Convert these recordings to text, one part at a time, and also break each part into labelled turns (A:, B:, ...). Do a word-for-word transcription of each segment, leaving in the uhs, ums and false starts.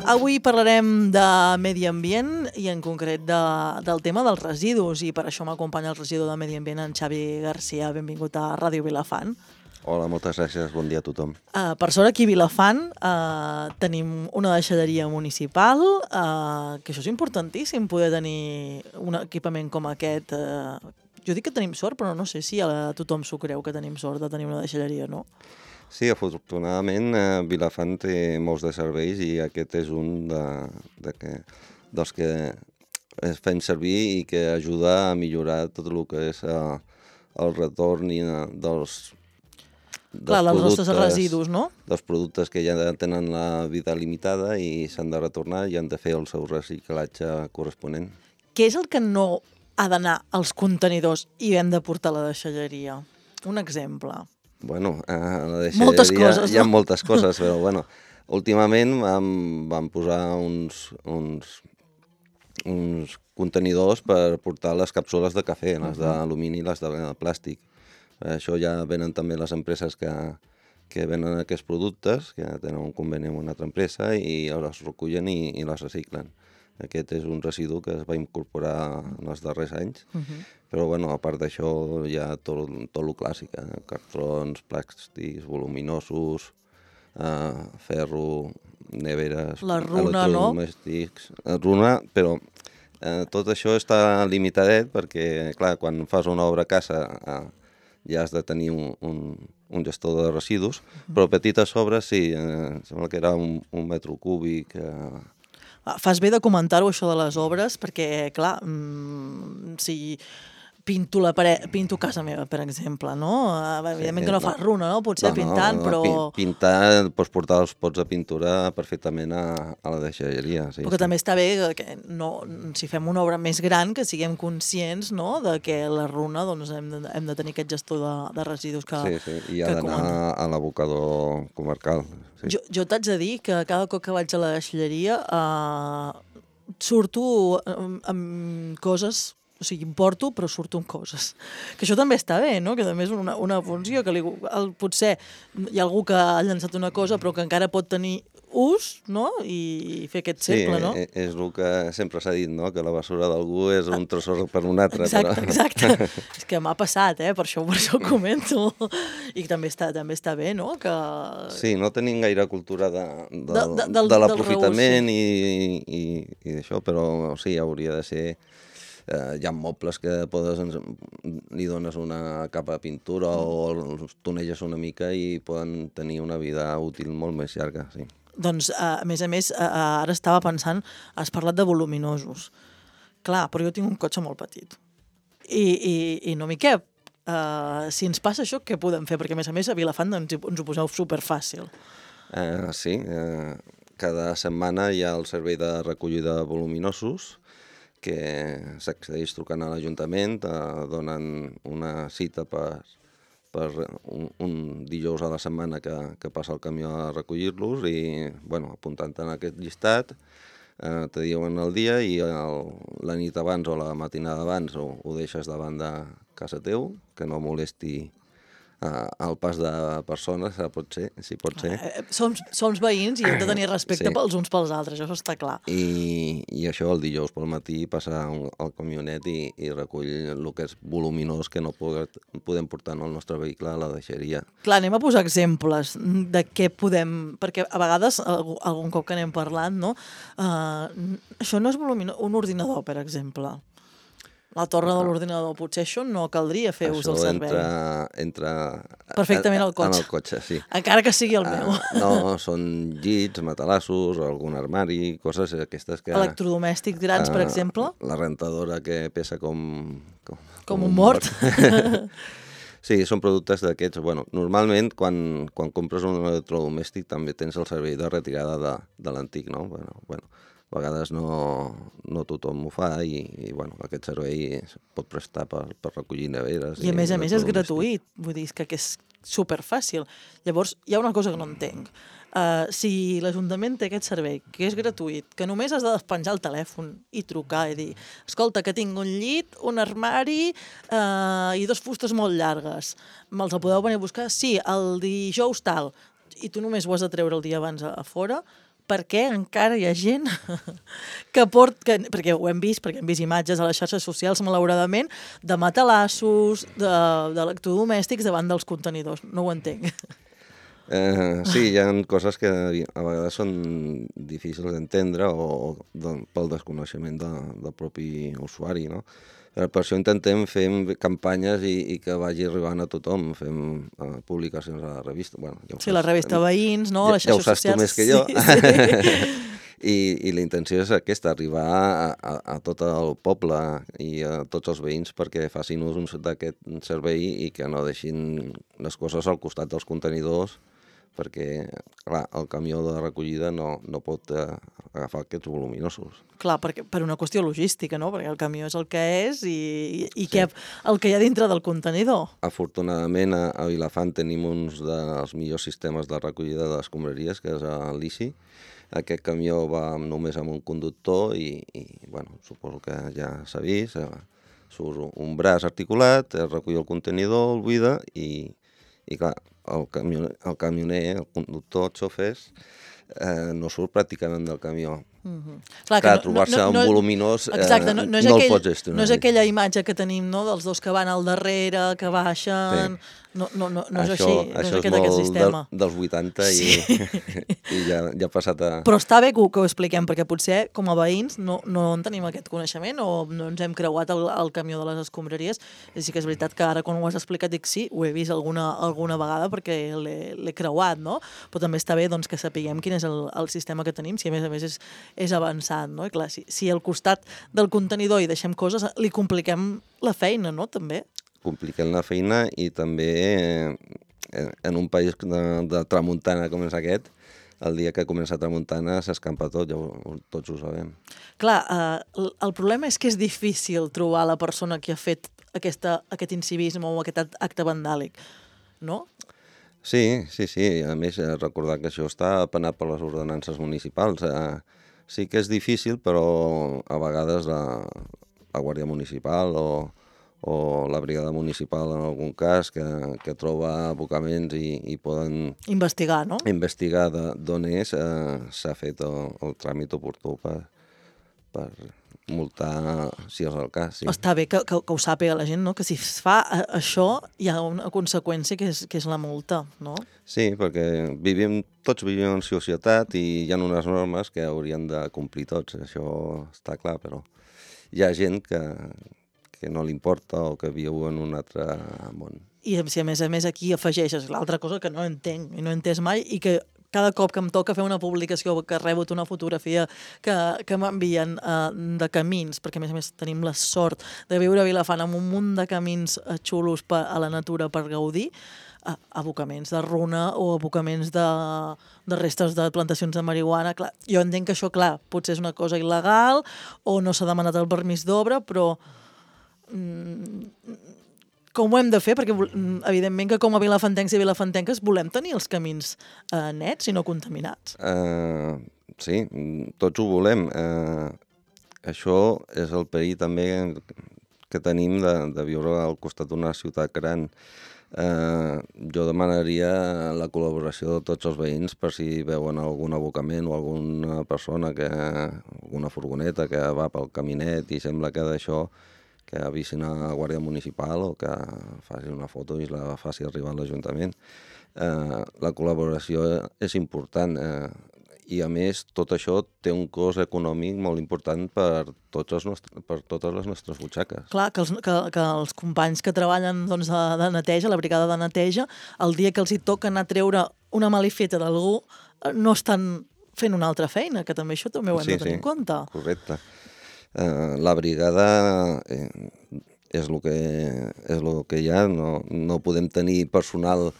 A: Avui parlarem de medi ambient i en concret de, del tema dels residus i per això m'acompanya el regidor de Medi Ambient, en Xavi Garcia. Benvingut a Ràdio Vilafant.
B: Hola, moltes gràcies. Bon dia a tothom.
A: Uh, per sort aquí a Vilafant uh, tenim una deixalleria municipal, uh, que això és importantíssim, poder tenir un equipament com aquest. Uh, jo dic que tenim sort, però no sé si a tothom s'ho creu que tenim sort de tenir una deixalleria, no?
B: Sí, afortunadament eh, Vilafant té molts de serveis i aquest és un de, de que, dels que es fem servir i que ajuda a millorar tot el que és eh, el retorn i, eh, dels, dels
A: Clar, dels
B: productes,
A: nostres residus, no?
B: Dels productes que ja tenen la vida limitada i s'han de retornar i han de fer el seu reciclatge corresponent.
A: Què és el que no ha d'anar als contenidors i hem de portar a la deixalleria? Un exemple.
B: Bueno, a la deixalleria
A: moltes coses,
B: hi ha
A: no?
B: moltes coses, però bueno, últimament vam, vam posar uns, uns, uns contenidors per portar les càpsules de cafè, les d'alumini i les de plàstic. Això ja venen també les empreses que, que venen aquests productes, que tenen un conveni amb una altra empresa i les recullen i, i les reciclen. Aquest és un residu que es va incorporar en els darrers anys, uh-huh. Però bueno, a part d'això hi ha tot, tot el clàssic, eh? Cartrons, plàstics, voluminosos, eh, ferro, neveres,
A: la runa,
B: electrodomèstics, no? Runa, però eh, tot això està limitadet perquè, clar, quan fas una obra a casa eh, ja has de tenir un, un, un gestor de residus, uh-huh. Però petites obres sí, eh, sembla que era un, un metro cúbic. Eh,
A: Fas bé de comentar-ho, això de les obres, perquè, clar, mmm, si pinto la paret, pinto casa meva, per exemple, no? Evidentment sí, que no, no fas runa, no? Potser no, pintant, no, però...
B: Pintar, pots portar els pots de pintura perfectament a, a la deixalleria. Sí,
A: però que
B: sí.
A: També està bé que no, si fem una obra més gran, que siguem conscients, no?, de que la runa doncs, hem, de, hem de tenir aquest gestor de, de residus que
B: Sí, sí, i ha d'anar a l'abocador comarcal. Sí.
A: Jo, jo t'haig de dir que cada cop que vaig a la deixalleria eh, surto amb, amb coses, o sigui, importo, però surto amb coses. Que això també està bé, no?, que també és una, una funció, que li, el, potser hi ha algú que ha llançat una cosa però que encara pot tenir ús, no?, i fer aquest cercle,
B: sí,
A: no?
B: Sí, és el que sempre s'ha dit, no?, que la basura d'algú és un tresor per un altre.
A: Exacte,
B: però...
A: exacte. És que m'ha passat, eh?, per això, per això ho comento. I també està, també està bé, no?, que...
B: Sí, no tenim gaire cultura de, de,
A: de, de, del,
B: de l'aprofitament
A: sí.
B: i, i, i d'això, però sí, hauria de ser... Eh, hi ha mobles que podes, li dones una capa de pintura o els toneges una mica i poden tenir una vida útil molt més llarga, sí.
A: Doncs, a més a més, ara estava pensant, has parlat de voluminosos. Clar, però jo tinc un cotxe molt petit. I, i, i no m'hi cap. Uh, si ens passa això, què podem fer? Perquè, a més a més, a Vilafant ens, ens ho poseu superfàcil.
B: Uh, sí, uh, cada setmana hi ha el servei de recollida de voluminosos, que s'accedeix trucant a l'Ajuntament, eh, donen una cita per, per un, un dijous a la setmana que, que passa el camió a recollir-los i, bueno, apuntant en aquest llistat, eh, te diuen el dia i el, la nit abans o la matinada abans ho, ho deixes davant de casa teu, que no molesti Uh, el pas de persones, uh, pot ser, si pot ser.
A: Uh, som, som veïns i hem de tenir respecte sí. pels uns pels altres, això està clar.
B: I, i això el dijous pel matí passa un, el camionet i, i recull el que és voluminós que no poder, podem portar en el nostre vehicle a la deixeria.
A: Clar, anem a posar exemples de què podem... Perquè a vegades, algun cop que anem parlant, no? Uh, això no és voluminós. Un ordinador, per exemple. La torre de l'ordinador, potser això no caldria fer ús del servei.
B: Això entra, entra
A: perfectament al cotxe.
B: En el cotxe, sí.
A: Encara que sigui el meu.
B: Uh, no, són llits, matalassos, algun armari, coses aquestes que...
A: Electrodomèstics grans, uh, per exemple?
B: La rentadora que pesa com...
A: Com, com un mort. mort.
B: Sí, són productes d'aquests. Bueno, normalment, quan, quan compres un electrodomèstic també tens el servei de retirada de, de l'antic, no? Bueno, bueno. A vegades no, no tothom ho fa i, i bueno, aquest servei es pot prestar per, per recollir neveres.
A: I a més a més és gratuït, vull dir que és superfàcil. Llavors, hi ha una cosa que no entenc. Uh, si l'Ajuntament té aquest servei, que és gratuït, que només has de despenjar el telèfon i trucar i dir, escolta, que tinc un llit, un armari uh, i dos fustes molt llargues, me'ls podeu venir a buscar? Sí, el dijous tal. i tu només ho has de treure el dia abans a, a fora, per què encara hi ha gent que port... Que, perquè ho hem vist, perquè hem vist imatges a les xarxes socials, malauradament, de matalassos, d'electrodomèstics davant dels contenidors. No ho entenc.
B: Eh, sí, hi ha coses que a vegades són difícils d'entendre o de, pel desconeixement de, del propi usuari, no? Per això intentem fer campanyes i, i que vagi arribant a tothom. Fem uh, publicacions a la revista. Bueno, ja
A: sí, la revista Veïns, no?
B: Ja,
A: les
B: ja ho
A: xarxes
B: saps tu més que jo.
A: Sí, sí.
B: I, I la intenció és aquesta, arribar a, a, a tot el poble i a tots els veïns perquè facin ús d'aquest servei i que no deixin les coses al costat dels contenidors, perquè, clar, el camió de recollida no, no pot eh, agafar aquests voluminosos.
A: Clar, perquè, per una qüestió logística, no? Perquè el camió és el que és i, i, i sí. que, el que hi ha dintre del contenidor.
B: Afortunadament, a, a Vilafant tenim uns dels millors sistemes de recollida de escombraries, que és el Lisi. Aquest camió va només amb un conductor i, i bueno, suposo que ja s'ha vist. Surt un braç articulat, es recull el contenidor, el buida i, i clar, el camioner, el camioner, el conductor, els xofers, eh, no surt pràcticament del camió.
A: Mm-hmm. Clar,
B: Clar,
A: no,
B: trobar-se
A: no, no,
B: un voluminós eh,
A: exacte, no, no, és
B: no
A: aquell,
B: el pots gestionar.
A: No és aquella imatge que tenim, no?, dels dos que van al darrere, que baixen... Sí. No, no, no, no és
B: això,
A: així, no
B: això
A: és aquest, aquest sistema.
B: Del, dels vuitanta
A: sí.
B: i, i ja, ja ha passat a...
A: Però està bé que ho, que ho expliquem, perquè potser com a veïns no, no en tenim aquest coneixement o no ens hem creuat el, el camió de les escombraries. I sí que és veritat que ara quan ho has explicat dic sí, ho he vist alguna, alguna vegada perquè l'he creuat, no? Però també està bé doncs, que sapiguem quin és el, el sistema que tenim, si a més a més és, és avançat, no? I clar, si, si al costat del contenidor hi deixem coses, li compliquem la feina, no?, també.
B: Compliquen la feina i també eh, en un país de, de tramuntana com és aquest, el dia que comença a tramuntana s'escampa tot, ja ho, tots ho sabem.
A: Clar, eh, el problema és que és difícil trobar la persona que ha fet aquesta, aquest incivisme o aquest acte vandàlic, no?
B: Sí, sí, sí. A més, recordar que això està penat per les ordenances municipals. Eh, sí que és difícil, però a vegades la, la Guàrdia Municipal o o la brigada municipal en algun cas, que, que troba abocaments i, i poden...
A: Investigar, no?
B: Investigar d'on és, eh, s'ha fet el, el tràmit oportú per, per multar, si és el cas. Sí.
A: Està bé que, que, que ho sàpiga la gent, no? Que si es fa això hi ha una conseqüència que és, que és la multa, no?
B: Sí, perquè vivim, tots vivim en societat i hi ha unes normes que haurien de complir tots, això està clar, però hi ha gent que... que no li importa o que viu en un altre món.
A: I si a més a més aquí afegeixes l'altra cosa que no entenc i no he entès mai i que cada cop que em toca fer una publicació que rebo una fotografia que, que m'envien uh, de camins, perquè a més a més tenim la sort de viure a Vilafant amb un munt de camins uh, xulos per, a la natura per gaudir, uh, abocaments de runa o abocaments de, de restes de plantacions de marihuana. Clar, jo entenc que això, clar, potser és una cosa il·legal o no s'ha demanat el permís d'obra, però com ho hem de fer? Perquè evidentment que com a vilafantencs i vilafantenques volem tenir els camins eh, nets i no contaminats.
B: Uh, sí, tots ho volem. Uh, això és el perill també que tenim de, de viure al costat d'una ciutat gran. Uh, jo demanaria la col·laboració de tots els veïns per si veuen algun abocament o alguna persona, que alguna furgoneta que va pel caminet i sembla que d'això que avisin a la Guàrdia Municipal o que faci una foto i la faci arribar a l'Ajuntament. Eh, la col·laboració és important eh, i, a més, tot això té un cost econòmic molt important per, tots els nostres, per totes les nostres butxaques.
A: Clar, que els, que, que els companys que treballen doncs, de, de neteja, la brigada de neteja, el dia que els hi toca anar a treure una malifeta d'algú, no estan fent una altra feina, que també això també ho hem
B: sí,
A: de tenir
B: sí,
A: en compte.
B: Correcte. Uh, la brigada eh, és el que, és el que hi ha, no, no podem tenir personal,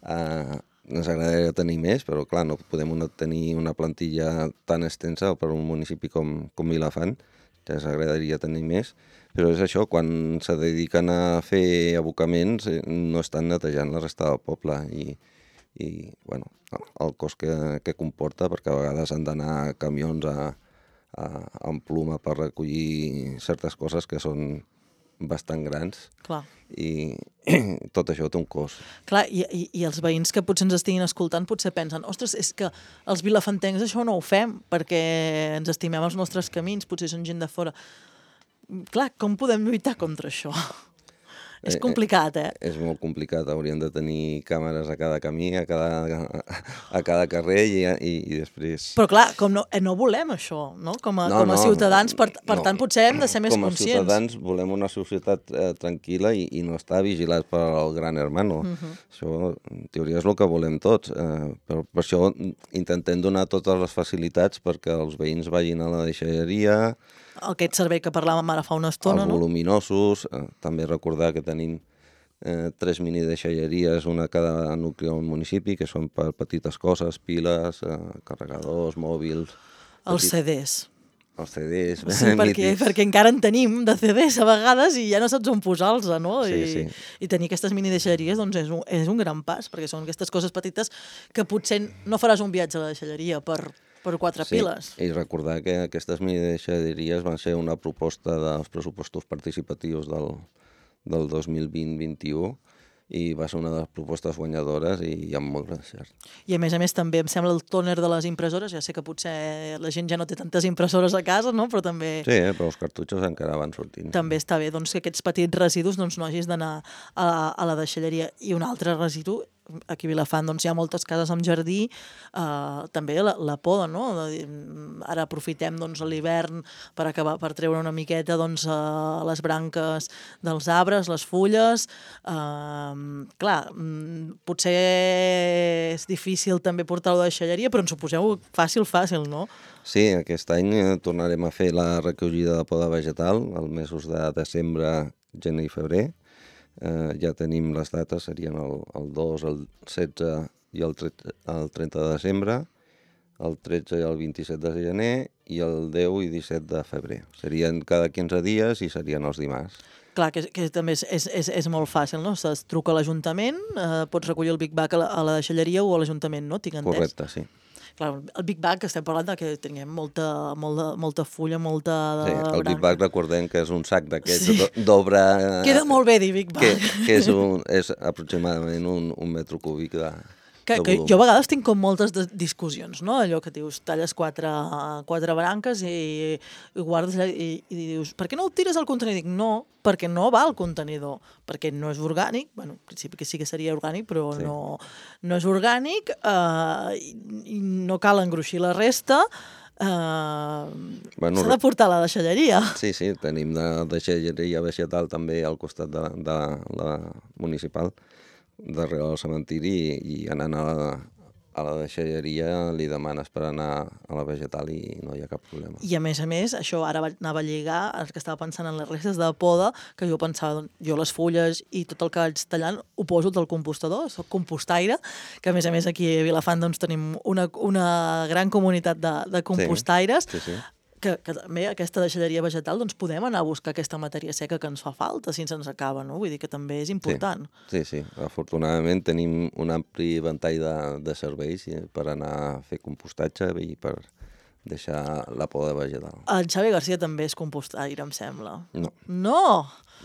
B: eh, ens agradaria tenir més, però clar, no podem una, tenir una plantilla tan extensa per un municipi com, com Vilafant, que ens agradaria tenir més, però és això, quan se dediquen a fer abocaments eh, no estan netejant la resta del poble i, i bueno, el cost que, que comporta, perquè a vegades han d'anar camions a amb pluma per recollir certes coses que són bastant grans.
A: Clar.
B: I tot això té un cost.
A: Clar, i, i, i els veïns que potser ens estiguin escoltant potser pensen, ostres, és que els vilafantencs això no ho fem perquè ens estimem els nostres camins, potser són gent de fora. Clar, com podem lluitar contra això? És complicat, eh?
B: És molt complicat. Hauríem de tenir càmeres a cada camí, a cada, a cada carrer i, i, i després...
A: Però clar, com no, eh, no volem això, no? Com a,
B: no,
A: com a
B: no,
A: ciutadans, per, per
B: no.
A: tant, potser hem de ser més
B: com
A: conscients.
B: Com a ciutadans volem una societat eh, tranquil·la i, i no estar vigilats pel gran hermano. Uh -huh. Això, en teoria, és el que volem tots. Eh, per, per això intentem donar totes les facilitats perquè els veïns vagin a la deixalleria...
A: Aquest servei que parlàvem ara fa una estona,
B: els
A: no?
B: voluminosos, eh, també recordar que tenim eh, tres minideixalleries, una a cada nucli del municipi, que són per petites coses, piles, eh, carregadors, mòbils...
A: Els
B: petit...
A: C Ds.
B: Els C Ds,
A: sí, perquè, perquè encara en tenim de C Ds a vegades i ja no saps on posar-los, no?
B: Sí,
A: I,
B: sí.
A: I tenir aquestes minideixalleries doncs és un, és un gran pas, perquè són aquestes coses petites que potser no faràs un viatge a la deixalleria per... per quatre
B: sí,
A: piles.
B: I recordar que aquestes minideixalleries van ser una proposta dels pressupostos participatius del, del dos mil vint vint-vint-i-u i va ser una de les propostes guanyadores i amb molt gran cert.
A: I a més a més també em sembla el tòner de les impressores, ja sé que potser la gent ja no té tantes impressores a casa, no? Però també...
B: Sí, eh? Però els cartutxos encara van sortint.
A: També està bé doncs, que aquests petits residus doncs, no hagis d'anar a, a la deixalleria. I un altre residu, aquí a Vilafant doncs, hi ha moltes cases amb jardí, eh, també la, la poda, no? Ara aprofitem doncs, l'hivern per acabar per treure una miqueta doncs, eh, les branques dels arbres, les fulles. Eh, clar, potser és difícil també portar-ho a la deixalleria, però ens ho poseu fàcil, fàcil, no?
B: Sí, aquest any tornarem a fer la recollida de poda vegetal els mesos de desembre, gener i febrer. Eh, ja tenim les dates, serien el, el dos, el setze i el, tretze, el trenta de desembre, el tretze i el vint-i-set de gener i el deu i disset de febrer. Serien cada quinze dies i serien els dimarts.
A: Clar, que, que també és, és, és, és molt fàcil, no? Es truca a l'Ajuntament, eh, pots recollir el Big Bag a la, a la deixalleria o a l'Ajuntament, no? Tinc entès?
B: Correcte, sí.
A: Clar, el Big Bag, que estem parlant de que tinguem molta, molta, molta fulla, molta...
B: Sí, el Big Bag recordem que és un sac d'aquests
A: sí.
B: d'obra...
A: Queda molt bé dir Big Bag.
B: Que, que és, un, és aproximadament un, un metre cúbic de,
A: que,
B: de
A: que
B: volum.
A: Jo a vegades tinc com moltes discussions, no? Allò que dius, talles quatre, quatre branques i, i guardes allà i, i dius, per què no ho tires al contenidor? Dic, no, perquè no va al contenidor, perquè no és orgànic, bueno, en principi que sí que seria orgànic, però sí. no, no és orgànic, eh, i, i no cal engruixir la resta, eh, bueno, s'ha de portar a la deixalleria.
B: Sí, sí, tenim de deixalleria vegetal també al costat de, de la municipal, darrere del cementiri, i, i anant a la, a la deixalleria li demanes per anar a la vegetal i no hi ha cap problema.
A: I a més a més, això ara anava a lligar, el que estava pensant en les restes de poda, que jo pensava, doncs, jo les fulles i tot el que vaig tallant ho poso del compostador, soc compostaire, que a més a més aquí a Vilafant doncs, tenim una, una gran comunitat de, de compostaires,
B: sí, sí, sí.
A: Que, que també aquesta deixalleria vegetal doncs podem anar a buscar aquesta matèria seca que ens fa falta si ens acaba, no? Vull dir que també és important.
B: Sí, sí, sí. Afortunadament tenim un ampli ventall de, de serveis per anar a fer compostatge i per deixar la poda vegetal.
A: En Xavi Garcia també és compostaire, em sembla.
B: No.
A: No!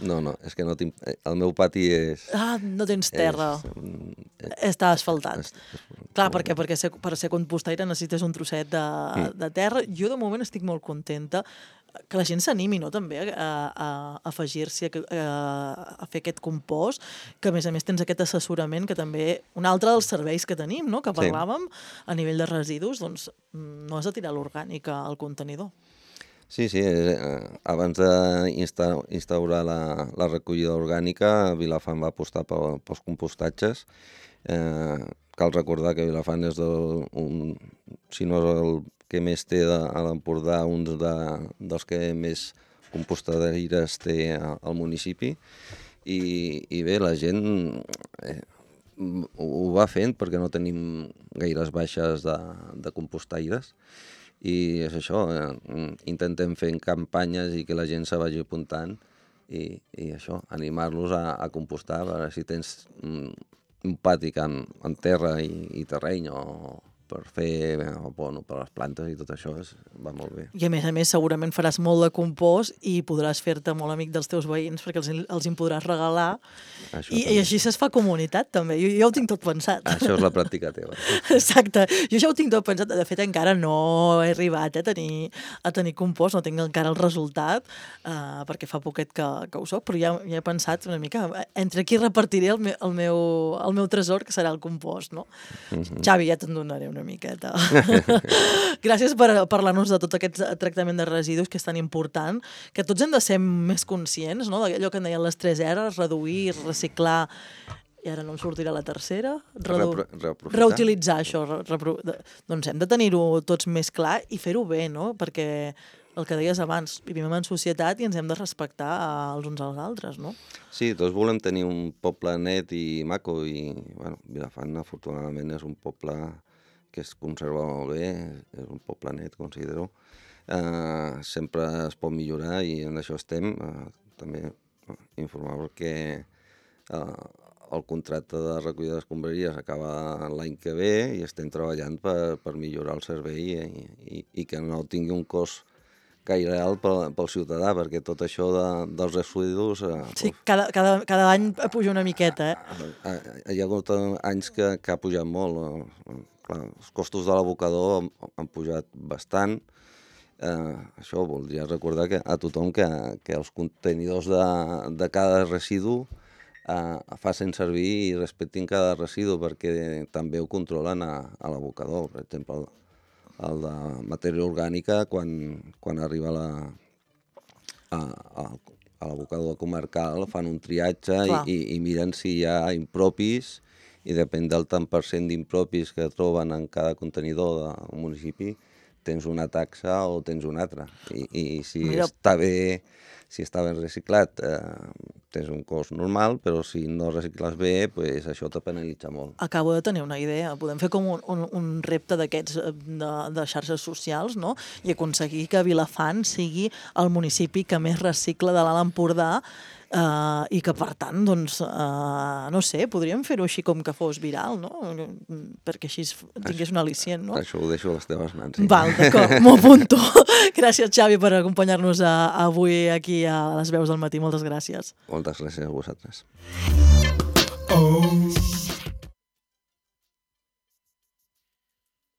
B: No, no, és que no tinc... El meu pati és...
A: Ah, no tens terra. És, és, Està asfaltat. És, és, Clar, perquè, perquè ser, per ser compostaire necessites un trosset de, mm. de terra. Jo de moment estic molt contenta que la gent s'animi, no?, també a, a, a afegir-s'hi a, a, a fer aquest compost, que a més a més tens aquest assessorament que també, un altre dels serveis que tenim, no?, que parlàvem, sí. A nivell de residus, doncs no has de tirar l'orgànic al contenidor.
B: Sí, sí, eh, abans d'instaurar la, la recollida orgànica, Vilafant va apostar pels compostatges. Eh, cal recordar que Vilafant és el, un, si no és el que més té de, a l'Empordà, un de, dels que més compostadeires té al municipi. I, i bé, la gent eh, ho va fent perquè no tenim gaires baixes de, de compostaires. I és això, eh, intentem fer campanyes i que la gent se vagi apuntant i, i això, animar-los a, a compostar, a veure si tens un, un pati en, en terra i, i terreny o per fer abono per les plantes i tot això és, va molt bé.
A: I a més a més segurament faràs molt de compost i podràs fer-te molt amic dels teus veïns perquè els, els en podràs regalar i, i així es fa comunitat també. Jo, jo ho tinc tot pensat.
B: Això és la pràctica teva.
A: Exacte. Jo ja ho tinc tot pensat. De fet encara no he arribat eh, a, tenir, a tenir compost, no tinc encara el resultat uh, perquè fa poquet que, que ho soc, però ja, ja he pensat una mica entre qui repartiré el, me, el, meu, el meu tresor que serà el compost, no? Mm-hmm. Xavi, ja te'n donaré una miqueta. Gràcies per parlar-nos de tot aquest tractament de residus que és tan important, que tots hem de ser més conscients, no? D'allò que en deien les tres R's, reduir, reciclar, i ara no em sortirà la tercera, Redu...
B: Repro
A: reutilitzar això. Repro... Doncs hem de tenir-ho tots més clar i fer-ho bé, no? Perquè el que deies abans, vivim en societat i ens hem de respectar els uns als altres, no?
B: Sí, tots volem tenir un poble net i maco i, bueno, Vilafant afortunadament és un poble que es conserva molt bé, és un poble net, considero. Uh, sempre es pot millorar i en això estem. Uh, també uh, informar que uh, el contracte de recollida d'escombraries acaba l'any que ve i estem treballant per, per millorar el servei i, i, i que no tingui un cost gaire alt pel, pel ciutadà, perquè tot això de, dels residus... Eh,
A: sí, cada, cada, cada any puja una miqueta, eh?
B: Hi ha hagut anys que, que ha pujat molt. Eh? Clar, els costos de l'abocador han, han pujat bastant. Eh, això voldria recordar que, a tothom que, que els contenidors de, de cada residu eh, facin servir i respectin cada residu, perquè també ho controlen a, a l'abocador. Per exemple, el de matèria orgànica, quan, quan arriba la, a, a, a l'abocador comarcal, fan un triatge i, i miren si hi ha impropis, i depèn del tant per cent d'impropis que troben en cada contenidor del municipi, tens una taxa o tens una altra. I, i si Mira. està bé, si està ben reciclat, eh, tens un cost normal, però si no recicles bé, pues això te penalitza molt.
A: Acabo de tenir una idea. Podem fer com un, un, un repte d'aquests de, de xarxes socials, no? I aconseguir que Vilafant sigui el municipi que més recicla de l'Alt Empordà, Uh, i que, per tant, doncs, uh, no sé, podríem fer-ho així com que fos viral, no? Perquè així tingués un al·licient, no?
B: Això ho deixo a les teves mans. Sí.
A: Val, d'acord, m'ho apunto. Gràcies, Xavi, per acompanyar-nos a, avui aquí a les Veus del Matí. Moltes gràcies.
B: Moltes gràcies a vosaltres.
C: Oh.